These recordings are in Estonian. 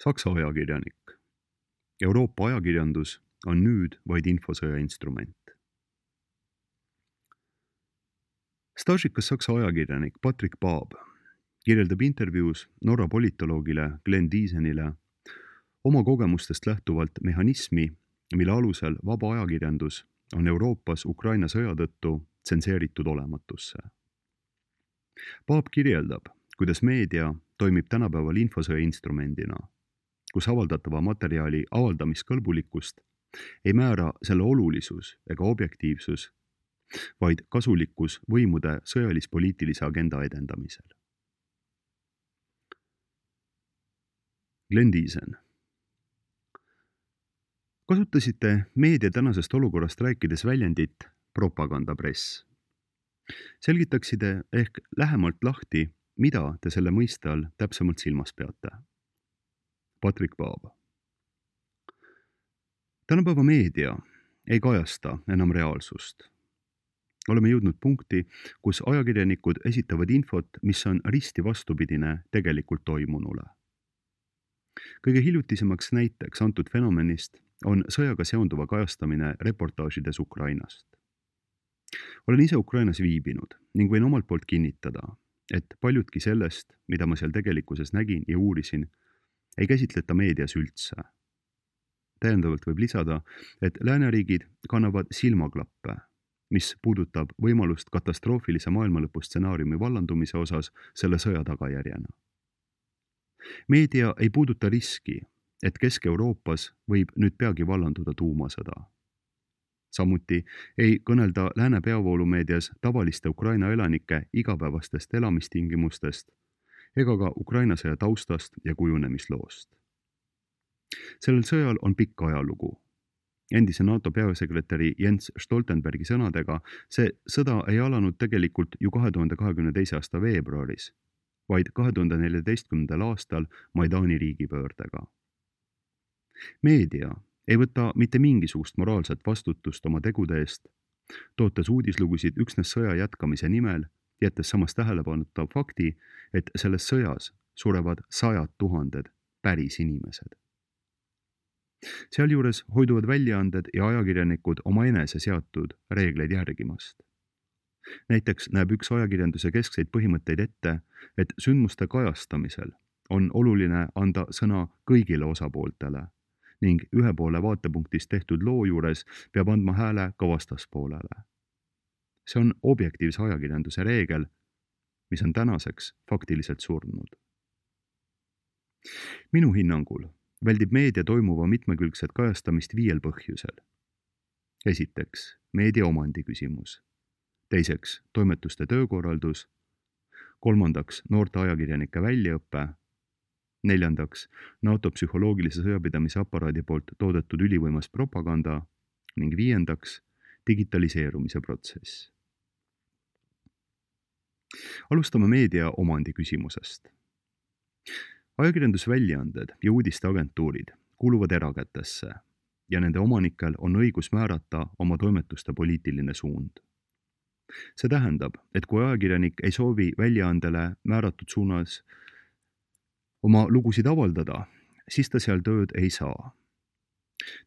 Saksa ajakirjanik. Euroopa ajakirjandus on nüüd vaid infosõja instrument. Staažikas Saksa ajakirjanik Patrick Baab kirjeldab intervjuus Norra politoloogile Glenn Diesenile oma kogemustest lähtuvalt mehhanismi, mille alusel vaba ajakirjandus on Euroopas Ukraina sõja tõttu tsenseeritud olematusse. Baab kirjeldab, kuidas meedia toimib tänapäeval infosõja instrumendina, kus avaldatava materjali avaldamiskõlbulikkust ei määra selle olulisus ega objektiivsus, vaid kasulikkus võimude sõjalis-poliitilise agenda edendamisel. Glenn Diesen. Kasutasite meedia tänasest olukorrast rääkides väljendit propagandapress. Selgitaksite ehk lähemalt lahti, mida te selle mõiste all täpsemalt silmas peate? Patrick Baab. Tänapäeva meedia ei kajasta enam reaalsust. Oleme jõudnud punkti, kus ajakirjanikud esitavad infot, mis on risti vastupidine tegelikult toimunule. Kõige hiljutisemaks näiteks antud fenomenist on sõjaga seonduva kajastamine reportaažides Ukrainast. Olen ise Ukrainas viibinud ning võin omalt poolt kinnitada, et paljudki sellest, mida ma seal tegelikkuses nägin ja uurisin, ei käsitleta meedias üldse. Täiendavalt võib lisada, et lääneriigid kannavad silmaklappe, mis puudutab võimalust katastroofilise maailmalõpu stsenaariumi vallandumise osas selle sõja tagajärjena. Meedia ei puuduta riski, et Kesk-Euroopas võib nüüd peagi vallanduda tuumasõda. Samuti ei kõnelda lääne peavoolumeedias tavaliste Ukraina elanike igapäevastest elamistingimustest ega ka Ukraina sõja taustast ja kujunemisloost. Sellel sõjal on pikk ajalugu. Endise NATO peasekretäri Jens Stoltenbergi sõnadega see sõda ei alanud tegelikult ju 2022. aasta veebruaris, vaid 2014. aastal Maidani riigipöördega. Meedia ei võta mitte mingisugust moraalset vastutust oma tegude eest, tootes uudislugusid üksnes sõja jätkamise nimel, jättes samas tähelepanuta fakti, et selles sõjas surevad 100 000 päris inimesed. Sealjuures hoiduvad väljaanded ja ajakirjanikud oma enese seatud reegleid järgimast. Näiteks näeb üks ajakirjanduse keskseid põhimõtteid ette, et sündmuste kajastamisel on oluline anda sõna kõigile osapooltele ning ühe poole vaatepunktist tehtud loo juures peab andma hääle ka vastaspoolele. See on objektiivse ajakirjanduse reegel, mis on tänaseks faktiliselt surnud. Minu hinnangul väldib meedia toimuva mitmekülgset kajastamist 5 põhjusel. Esiteks, meedia omandi küsimus. Teiseks, toimetuste töökorraldus. Kolmandaks, noorte ajakirjanike väljaõppe. Neljandaks, NATO psühholoogilise sõjapidamise aparaadi poolt toodetud ülivõimas propaganda ning 5. digitaliseerumise protsess. Alustame meedia omandi küsimusest. Ajakirjandusväljaanded ja uudisteagentuurid kuuluvad erakätesse ja nende omanikel on õigus määrata oma toimetuste poliitiline suund. See tähendab, et kui ajakirjanik ei soovi väljaandele määratud suunas oma lugusid avaldada, siis ta seal tööd ei saa.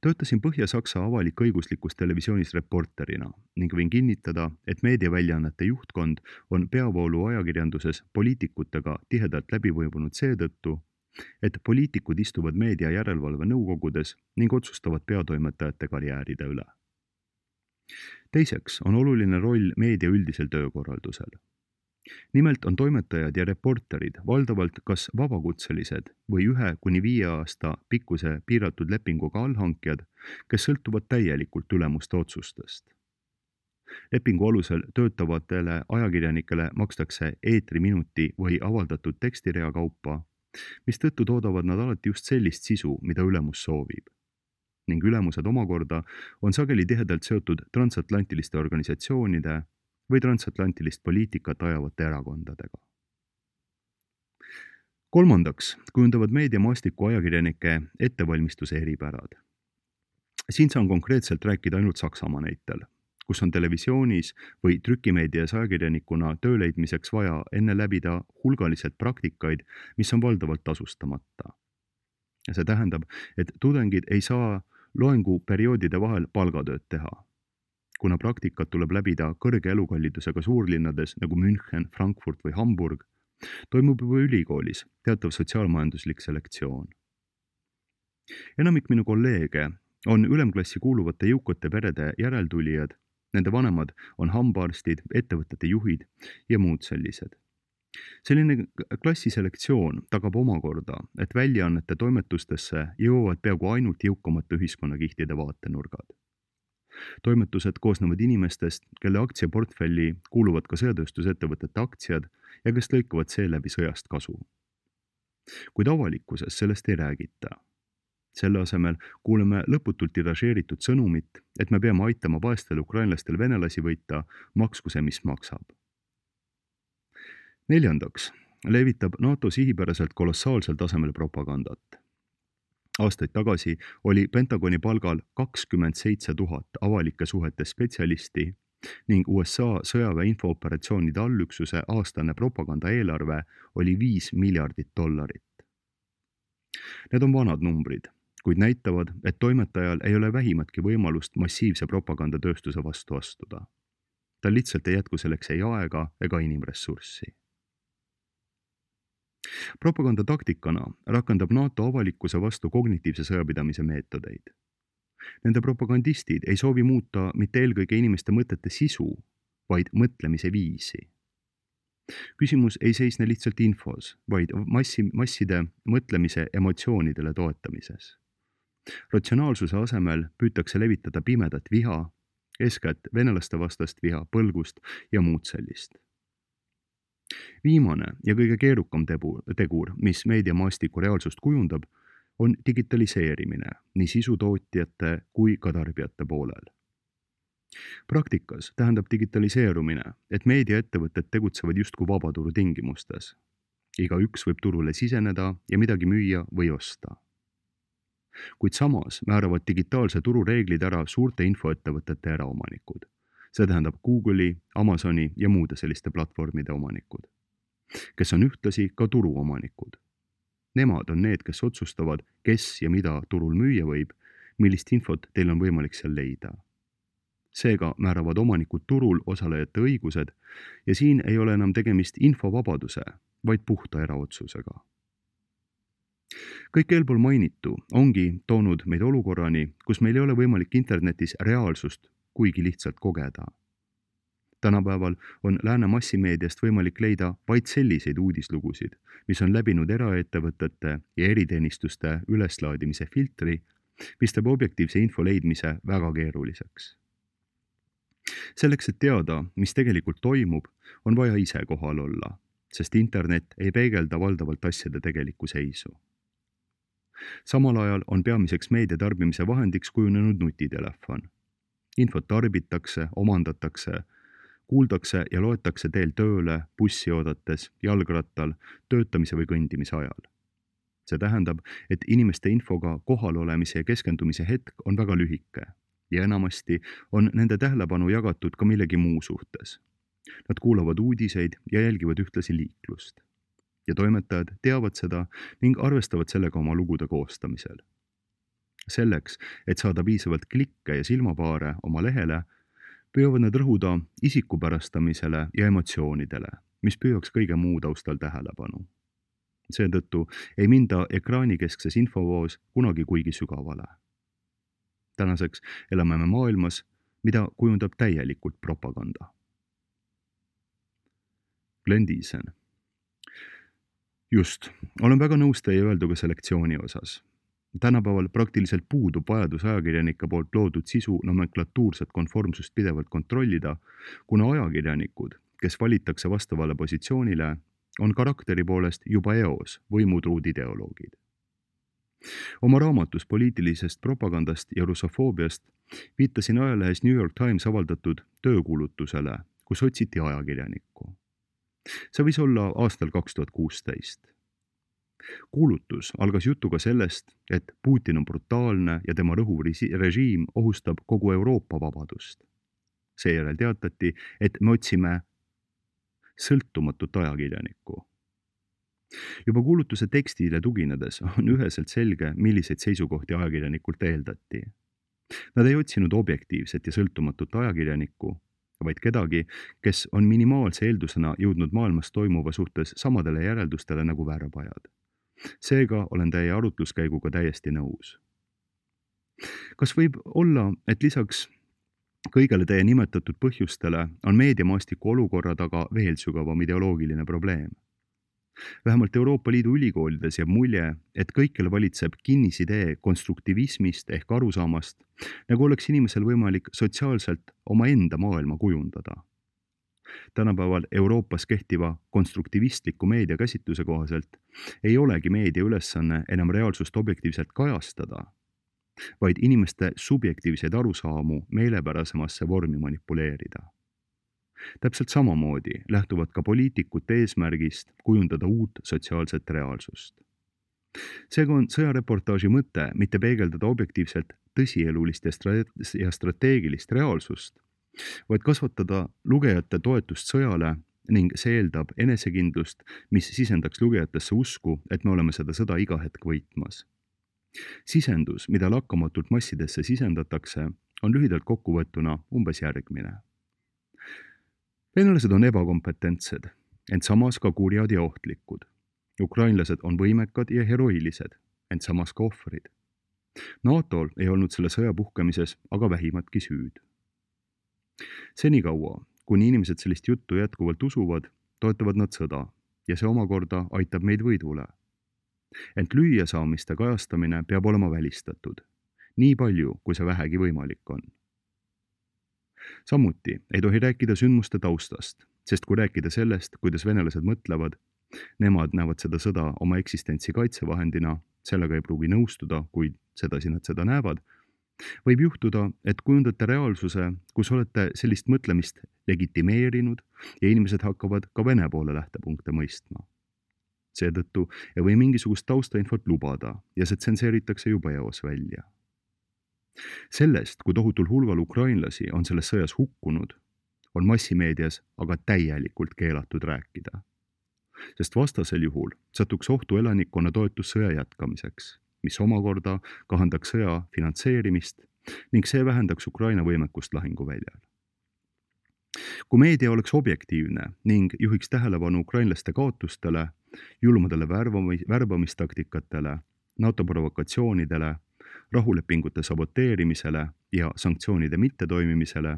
Töötasin Põhja-Saksa avalik-õiguslikus televisioonis reporterina ning võin kinnitada, et meediaväljaannete juhtkond on peavoolu ajakirjanduses poliitikutega tihedalt läbivõimunud seetõttu, et poliitikud istuvad meedia järelevalve nõukogudes ning otsustavad peatoimetajate karjääride üle. Teiseks on oluline roll meedia üldisel töökorraldusel. Nimelt on toimetajad ja reporterid valdavalt kas vabakutselised või 1–5 aasta pikkuse piiratud lepinguga allhankjad, kes sõltuvad täielikult ülemuste otsustest. Lepingu alusel töötavatele ajakirjanikele makstakse eetriminuti või avaldatud tekstirea kaupa, mistõttu toodavad nad alati just sellist sisu, mida ülemus soovib. Ning ülemused omakorda on sageli tihedalt seotud transatlantiliste organisatsioonide või transatlantilist poliitikat ajavate erakondadega. Kolmandaks kujundavad meediamaastiku ajakirjanike ettevalmistuse eripärad. Siin saan konkreetselt rääkida ainult Saksamaa näitel, kus on televisioonis või trükimeedias ajakirjanikuna töö leidmiseks vaja enne läbida hulgaliselt praktikaid, mis on valdavalt tasustamata. See tähendab, et tudengid ei saa loenguperioodide vahel palgatööd teha, kuna praktikat tuleb läbida kõrge elukallidusega suurlinnades nagu München, Frankfurt või Hamburg, toimub juba ülikoolis teatav sotsiaalmajanduslik selektsioon. Enamik minu kolleege on ülemklassi kuuluvate jõukate perede järeltulijad, nende vanemad on hambaarstid, ettevõtete juhid ja muud sellised. Selline klassiselektsioon tagab omakorda, et väljaannete toimetustesse jõuavad peaaegu ainult jõukamate ühiskonnakihtide vaatenurgad. Toimetused koosnevad inimestest, kelle aktsiaportfelli kuuluvad ka sõjatööstusettevõtete aktsiad ja kes lõikavad seeläbi sõjast kasu. Kuid avalikkuses sellest ei räägita. Selle asemel kuuleme lõputult tiražeeritud sõnumit, et me peame aitama vaestel ukrainlastel venelasi võita, maksku see, mis maksab. Neljandaks levitab NATO sihipäraselt kolossaalsel tasemel propagandat. Aastaid tagasi oli Pentagoni palgal 27 000 avalike suhete spetsialisti ning USA sõjaväe infooperatsioonide allüksuse aastane propaganda eelarve oli $5 miljardit. Need on vanad numbrid, kuid näitavad, et toimetajal ei ole vähimatki võimalust massiivse propagandatööstuse vastu astuda. Tal lihtsalt ei jätku selleks ei aega ega inimressurssi. Propagandataktikana rakendab NATO avalikkuse vastu kognitiivse sõjapidamise meetodeid. Nende propagandistid ei soovi muuta mitte eelkõige inimeste mõtete sisu, vaid mõtlemise viisi. Küsimus ei seisne lihtsalt infos, vaid masside mõtlemise emotsioonidele toetamises. Ratsionaalsuse asemel püütakse levitada pimedat viha, eeskätt venelaste vastast viha, põlgust ja muud sellist. Viimane ja kõige keerukam tegur, mis meediamaastiku reaalsust kujundab, on digitaliseerimine nii sisutootjate kui ka tarbijate poolel. Praktikas tähendab digitaliseerumine, et meediaettevõtted tegutsevad justkui vabaturu tingimustes. Igaüks võib turule siseneda ja midagi müüa või osta. Kuid samas määravad digitaalse turu reeglid ära suurte infoettevõtete eraomanikud. See tähendab Google'i, Amazoni ja muude selliste platvormide omanikud, kes on ühtlasi ka turuomanikud. Nemad on need, kes otsustavad, kes ja mida turul müüa võib, millist infot teil on võimalik seal leida. Seega määravad omanikud turul osalejate õigused ja siin ei ole enam tegemist infovabaduse, vaid puhta eraotsusega. Kõik eelpool mainitu ongi toonud meid olukorrani, kus meil ei ole võimalik internetis reaalsust kuigi lihtsalt kogeda. Tänapäeval on lääne massimeediast võimalik leida vaid selliseid uudislugusid, mis on läbinud eraettevõtete ja eriteenistuste üleslaadimise filtri, mis teeb objektiivse info leidmise väga keeruliseks. Selleks, et teada, mis tegelikult toimub, on vaja ise kohal olla, sest internet ei peegelda valdavalt asjade tegelikku seisu. Samal ajal on peamiseks meedia tarbimise vahendiks kujunenud nutitelefon. Infot tarbitakse, omandatakse, kuuldakse ja loetakse teel tööle, bussi oodates, jalgrattal, töötamise või kõndimise ajal. See tähendab, et inimeste infoga kohalolemise ja keskendumise hetk on väga lühike ja enamasti on nende tähelepanu jagatud ka millegi muu suhtes. Nad kuulavad uudiseid ja jälgivad ühtlasi liiklust. Ja toimetajad teavad seda ning arvestavad sellega oma lugude koostamisel. Selleks, et saada piisavalt klikke ja silmapaare oma lehele, püüavad nad rõhuda isikupärastamisele ja emotsioonidele, mis püüaks kõige muu taustal tähelepanu. Seetõttu ei minda ekraanikeskses infovoos kunagi kuigi sügavale. Tänaseks elame me maailmas, mida kujundab täielikult propaganda. Glenn Diesen. Just, olen väga nõus teie öelduga selektsiooni osas. Tänapäeval praktiliselt puudub vajadus ajakirjanike poolt loodud sisu nomenklatuurset konformsust pidevalt kontrollida, kuna ajakirjanikud, kes valitakse vastavale positsioonile, on karakteri poolest juba eos võimutruud ideoloogid. Oma raamatus poliitilisest propagandast ja russofoobiast viitasin ajalehes New York Times avaldatud töökuulutusele, kus otsiti ajakirjanikku. See võis olla aastal 2016. Kuulutus algas jutuga sellest, et Putin on brutaalne ja tema rõhuv režiim ohustab kogu Euroopa vabadust. Seejärel teatati, et me otsime sõltumatut ajakirjanikku. Juba kuulutuse tekstile tuginedes on üheselt selge, milliseid seisukohti ajakirjanikult eeldati. Nad ei otsinud objektiivset ja sõltumatut ajakirjanikku, vaid kedagi, kes on minimaalse eeldusena jõudnud maailmas toimuva suhtes samadele järeldustele nagu väärapajad. Seega olen teie arutluskäiguga täiesti nõus. Kas võib olla, et lisaks kõigele teie nimetatud põhjustele on meediamaastiku olukorra taga veel sügavam ideoloogiline probleem? Vähemalt Euroopa Liidu ülikoolides jääb mulje, et kõikjal valitseb kinnisidee konstruktivismist ehk arusaamast, nagu oleks inimesel võimalik sotsiaalselt omaenda maailma kujundada. Tänapäeval Euroopas kehtiva konstruktivistliku meediakäsitluse kohaselt ei olegi meedia ülesanne enam reaalsust objektiivselt kajastada, vaid inimeste subjektiivseid arusaamu meelepärasemasse vormi manipuleerida. Täpselt samamoodi lähtuvad ka poliitikute eesmärgist kujundada uut sotsiaalset reaalsust. Seega on sõjareportaaži mõte mitte peegeldada objektiivselt tõsielulist ja strateegilist reaalsust, vaid kasvatada lugejate toetust sõjale ning see eeldab enesekindlust, mis sisendaks lugejatesse usku, et me oleme seda sõda iga hetk võitmas. Sisendus, mida lakkamatult massidesse sisendatakse, on lühidalt kokkuvõttuna umbes järgmine. Venelased on ebakompetentsed, ent samas ka kurjad ja ohtlikud. Ukrainlased on võimekad ja heroilised, ent samas ka ohvrid. NATOl ei olnud selle sõja puhkemises aga vähimatki süüd. Senikaua, kuni inimesed sellist juttu jätkuvalt usuvad, toetavad nad sõda ja see omakorda aitab meid võidule. Ent lüüasaamiste kajastamine peab olema välistatud, nii palju, kui see vähegi võimalik on. Samuti ei tohi rääkida sündmuste taustast, sest kui rääkida sellest, kuidas venelased mõtlevad, nemad näevad seda sõda oma eksistentsi kaitsevahendina, sellega ei pruugi nõustuda, kuid sedasi nad seda näevad, võib juhtuda, et kujundate reaalsuse, kus olete sellist mõtlemist legitimeerinud ja inimesed hakkavad ka Vene poole lähtepunkte mõistma. Seetõttu ei või mingisugust taustainfot lubada ja see tsenseeritakse juba eos välja. Sellest, kui tohutul hulgal ukrainlasi on selles sõjas hukkunud, on massimeedias aga täielikult keelatud rääkida. Sest vastasel juhul satuks ohtu elanikkonna toetus sõja jätkamiseks, mis omakorda kahandaks sõja finantseerimist ning see vähendaks Ukraina võimekust lahinguväljal. Kui meedia oleks objektiivne ning juhiks tähelepanu ukrainlaste kaotustele, julmadele värbamistaktikatele, NATO provokatsioonidele, rahulepingute saboteerimisele ja sanktsioonide mittetoimimisele,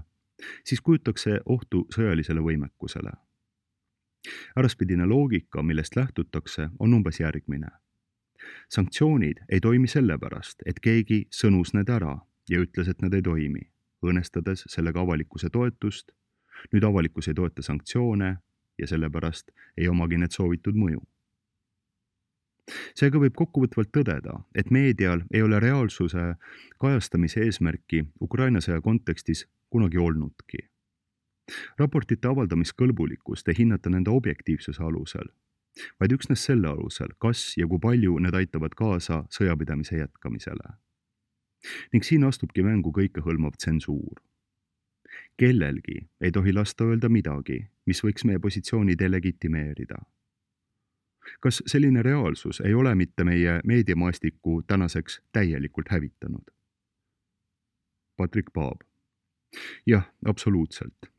siis kujutaks see ohtu sõjalisele võimekusele. Äraspidine loogika, millest lähtutakse, on umbes järgmine. Sanktsioonid ei toimi sellepärast, et keegi sõnus need ära ja ütles, et need ei toimi, õõnestades sellega avalikkuse toetust. Nüüd avalikkus ei toeta sanktsioone ja sellepärast ei omagi need soovitud mõju. Seega võib kokkuvõtvalt tõdeda, et meedial ei ole reaalsuse kajastamise eesmärki Ukraina sõja kontekstis kunagi olnudki. Raportite avaldamiskõlbulikkust ei hinnata nende objektiivsuse alusel, vaid üksnes selle alusel, kas ja kui palju need aitavad kaasa sõjapidamise jätkamisele. Ning siin astubki mängu kõikehõlmav tsensuur. Kellelgi ei tohi lasta öelda midagi, mis võiks meie positsiooni delegitimeerida. Kas selline reaalsus ei ole mitte meie meediamaastiku tänaseks täielikult hävitanud? Patrik Paab. Jah, absoluutselt.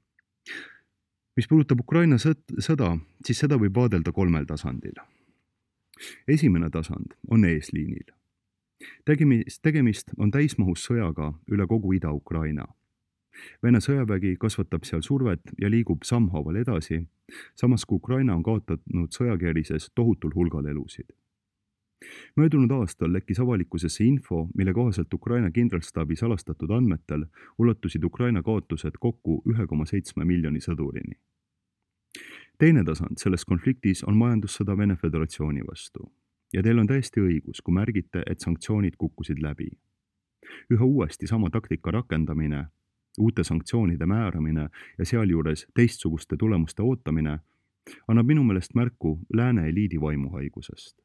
Mis puudutab Ukraina sõda, siis seda võib vaadelda 3 tasandil. Esimene tasand on eesliinil. Tegemist on täismahus sõjaga üle kogu Ida-Ukraina. Vene sõjavägi kasvatab seal survet ja liigub sammhaaval edasi, samas kui Ukraina on kaotanud sõjakeerises tohutul hulgal elusid. Möödunud aastal lekkis avalikkusesse info, mille kohaselt Ukraina kindralstaabi salastatud andmetel ulatusid Ukraina kaotused kokku 1,7 miljoni sõdurini. Teine tasand selles konfliktis on majandussõda Vene Föderatsiooni vastu. Ja teil on täiesti õigus, kui märgite, et sanktsioonid kukkusid läbi. Üha uuesti sama taktika rakendamine, uute sanktsioonide määramine ja sealjuures teistsuguste tulemuste ootamine annab minu meelest märku lääne eliidi vaimuhaigusest.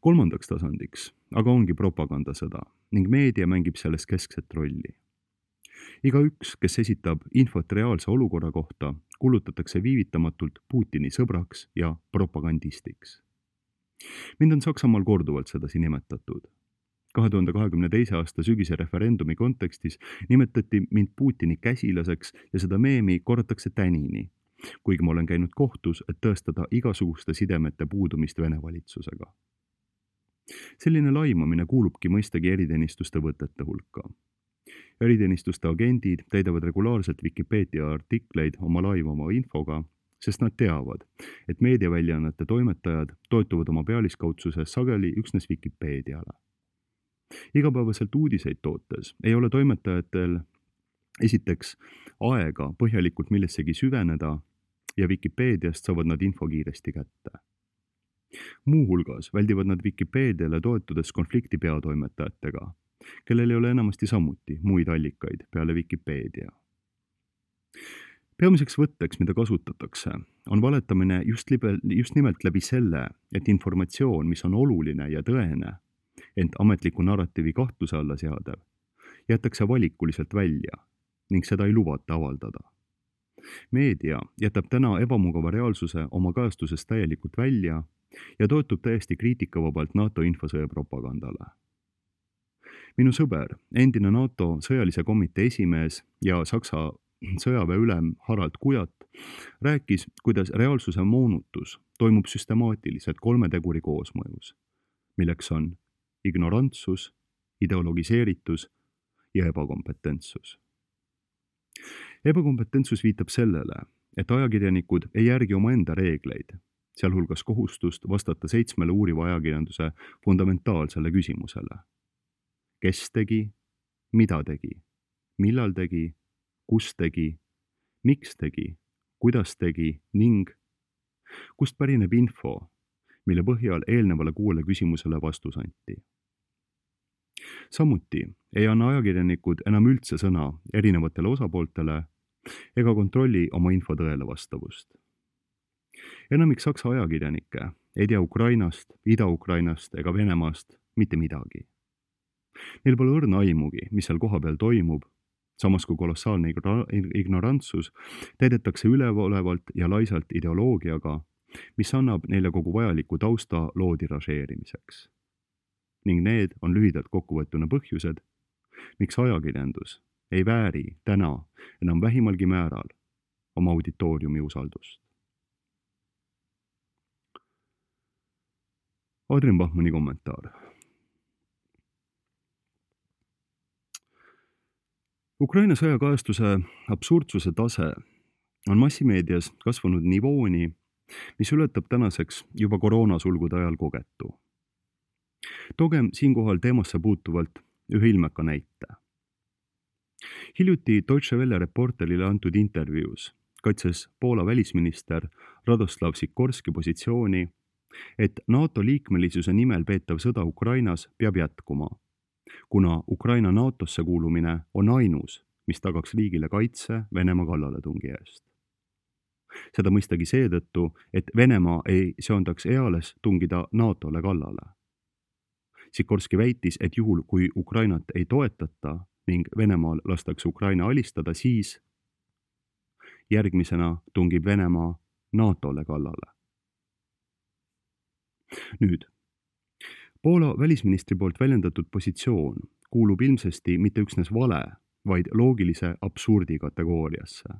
3. tasandiks aga ongi propagandasõda ning meedia mängib selles keskset rolli. Igaüks, kes esitab infot reaalse olukorra kohta, kuulutatakse viivitamatult Putini sõbraks ja propagandistiks. Mind on Saksamaal korduvalt sedasi nimetatud. 2022. aasta sügise referendumi kontekstis nimetati mind Putini käsilaseks ja seda meemi korratakse tänini, kuigi ma olen käinud kohtus, et tõestada igasuguste sidemete puudumist Vene valitsusega. Selline laimamine kuulubki mõistagi eriteenistuste võtete hulka. Eriteenistuste agendid täidavad regulaarselt Wikipedia artikleid oma laimama infoga, sest nad teavad, et meediaväljaannete toimetajad toetuvad oma pealiskaudsuses sageli üksnes Wikipeediale. Igapäevaselt uudiseid tootes ei ole toimetajatel esiteks aega põhjalikult millessegi süveneda ja Wikipeediast saavad nad info kiiresti kätte. Muuhulgas väldivad nad Wikipeediale toetudes konflikti peatoimetajatega, kellel ei ole enamasti samuti muid allikaid peale Wikipeedia. Peamiseks võtteks, mida kasutatakse, on valetamine just nimelt läbi selle, et informatsioon, mis on oluline ja tõene, ent ametliku narratiivi kahtluse alla seadev, jätakse valikuliselt välja ning seda ei lubata avaldada. Meedia jätab täna ebamugava reaalsuse oma kajastusest täielikult välja ja toetub täiesti kriitikavabalt NATO infosõja propagandale. Minu sõber, endine NATO sõjalise komitee esimees ja Saksa sõjaväeülem Harald Kujat rääkis, kuidas reaalsuse moonutus toimub süstemaatiliselt 3 teguri koosmõjus, milleks on ignorantsus, ideologiseeritus ja ebakompetentsus. Ebakompetentsus viitab sellele, et ajakirjanikud ei järgi omaenda reegleid, sealhulgas kohustust vastata 7 uuriva ajakirjanduse fundamentaalsele küsimusele. Kes tegi, mida tegi, millal tegi, kus tegi, miks tegi, kuidas tegi ning kust pärineb info, mille põhjal eelnevale 6 küsimusele vastus anti. Samuti ei anna ajakirjanikud enam üldse sõna erinevatele osapooltele ega kontrolli oma info tõele vastavust. Enamik Saksa ajakirjanikke ei tea Ukrainast, Ida-Ukrainast ega Venemaast mitte midagi. Neil pole õrna aimugi, mis seal kohapeal toimub, samas kui kolossaalne ignorantsus täidetakse üleolevalt ja laisalt ideoloogiaga, mis annab neile kogu vajaliku tausta loo tiražeerimiseks. Ning need on lühidalt kokkuvõtuna põhjused, miks ajakirjandus ei vääri täna enam vähimalgi määral oma auditooriumi usaldust. Adrian Bachmanni kommentaar. Ukraina sõjakajastuse absurdsuse tase on massimeedias kasvanud nivooni, mis ületab tänaseks juba koroonasulgude ajal kogetu. Toogem siinkohal teemasse puutuvalt ühe ilmeka näite. Hiljuti Deutsche Welle reporterile antud intervjuus kaitses Poola välisminister Radoslav Sikorski positsiooni, et NATO liikmelisuse nimel peetav sõda Ukrainas peab jätkuma, kuna Ukraina NATOsse kuulumine on ainus, mis tagaks riigile kaitse Venemaa kallaletungi eest. Seda mõistagi seetõttu, et Venemaa ei seondaks eales tungida NATOle kallale. Sikorski väitis, et juhul, kui Ukrainat ei toetata ning Venemaal lastakse Ukraina alistada, siis järgmisena tungib Venemaa NATOle kallale. Nüüd, Poola välisministri poolt väljendatud positsioon kuulub ilmsesti mitte üksnes vale, vaid loogilise absurdi kategooriasse,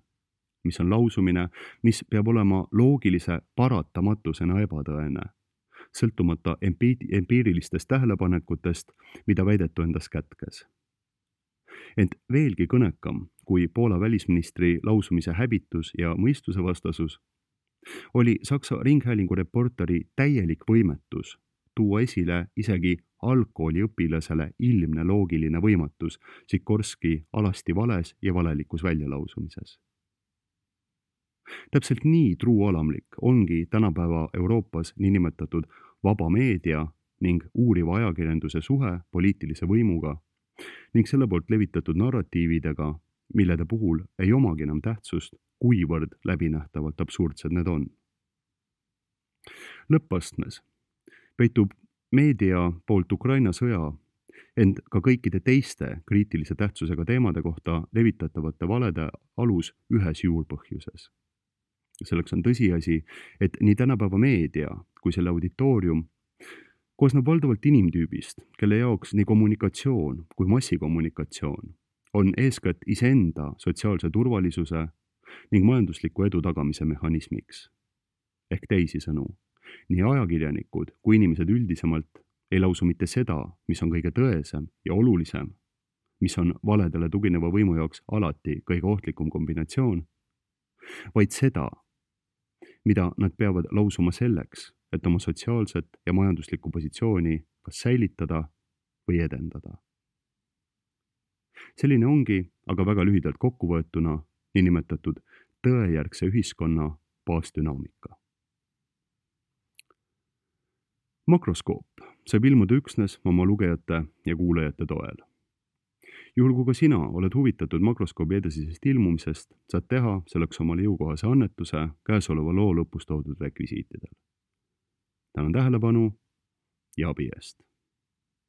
mis on lausumine, mis peab olema loogilise paratamatusena ebatõene, sõltumata empiirilistest tähelepanekutest, mida väidetu endas kätkes. Ent veelgi kõnekam kui Poola välisministri lausumise häbitus ja mõistuse vastasus oli Saksa Ringhäälingu reporteri täielik võimetus tuua esile isegi algkooliõpilasele ilmne loogiline võimatus Sikorski alasti vales ja valelikus väljalausumises. Täpselt nii truualamlik ongi tänapäeva Euroopas niinimetatud vaba meedia ning uuriva ajakirjanduse suhe poliitilise võimuga ning selle poolt levitatud narratiividega, millede puhul ei omagi enam tähtsust, kuivõrd läbinähtavalt absurdsed need on. Lõppastmes peitub meedia poolt Ukraina sõja Ent ka kõikide teiste kriitilise tähtsusega teemade kohta levitatavate valede alus ühes juurpõhjuses. Selleks on tõsiasi, et nii tänapäeva meedia kui selle auditoorium koosneb valdavalt inimtüübist, kelle jaoks nii kommunikatsioon kui massikommunikatsioon on eeskätt iseenda sotsiaalse turvalisuse ning majandusliku edu tagamise mehhanismiks. Ehk teisisõnu, nii ajakirjanikud kui inimesed üldisemalt ei lausu mitte seda, mis on kõige tõesem ja olulisem, mis on valedele tugineva võimu jaoks alati kõige ohtlikum kombinatsioon, vaid seda, mida nad peavad lausuma selleks, et oma sotsiaalset ja majanduslikku positsiooni kas säilitada või edendada. Selline ongi, aga väga lühidalt kokkuvõetuna, niinimetatud tõejärgse ühiskonna baasdünaamika. Makroskoop saab ilmuda üksnes oma lugejate ja kuulajate toel. Juhul kui ka sina oled huvitatud makroskoobi edasisest ilmumisest, saad teha selleks omale jõukohase annetuse käesoleva loo lõpus toodud rekvisiitidel. Tänan tähelepanu ja abi eest!